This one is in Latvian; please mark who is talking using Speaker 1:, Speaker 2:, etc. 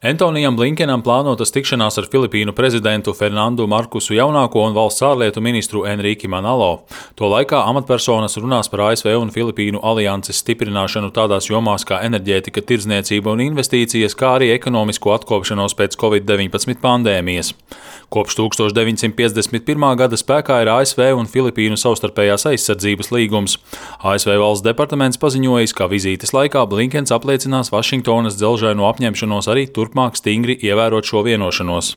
Speaker 1: Antonijam Blinkenam plānotas tikšanās ar Filipīnu prezidentu Fernandu Markusu Jaunāko un valsts ārlietu ministru Enrique Manalo. To laikā amatpersonas runās par ASV un Filipīnu alianses stiprināšanu tādās jomās kā enerģētika, tirdzniecība un investīcijas, kā arī ekonomisko atkopšanos pēc Covid-19 pandēmijas. Kopš 1951. gada spēkā ir ASV un Filipīnu savstarpējās aizsardzības līgums. ASV valsts departaments paziņojis, ka vizītes laikā Blinkens apliecinās Vašingtonas dzelžaino apņemšanos arī turpmāk stingri ievērot šo vienošanos.